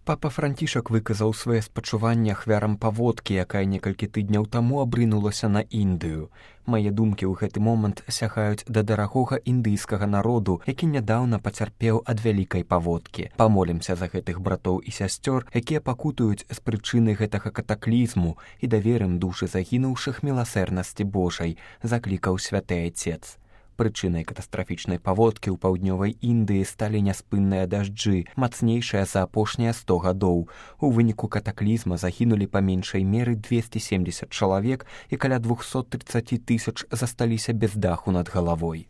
Папа Францішак выказаў свае спачуванні ахвярам паводкі, якая некалькі тыдняў таму абрынулася на Індыю. Мае думкі ў гэты момант сягаюць да дарагога індыйскага народу, які нядаўна пацярпеў ад вялікай паводкі. Памолімся за гэтых братоў і сясцёр, якія пакутуюць з прычыны гэтага катаклізму, і даверым душы загінуўшых міласэрнасці Божай, заклікаў святы айцец. Прычынай катастрафічнай паводкі ў паўднёвай Індыі сталі няспынныя дажджы, мацнейшыя за апошнія 100 гадоў. У выніку катаклізма загінулі па меншай меры 270 чалавек і каля 230 000 засталіся без даху над галавой.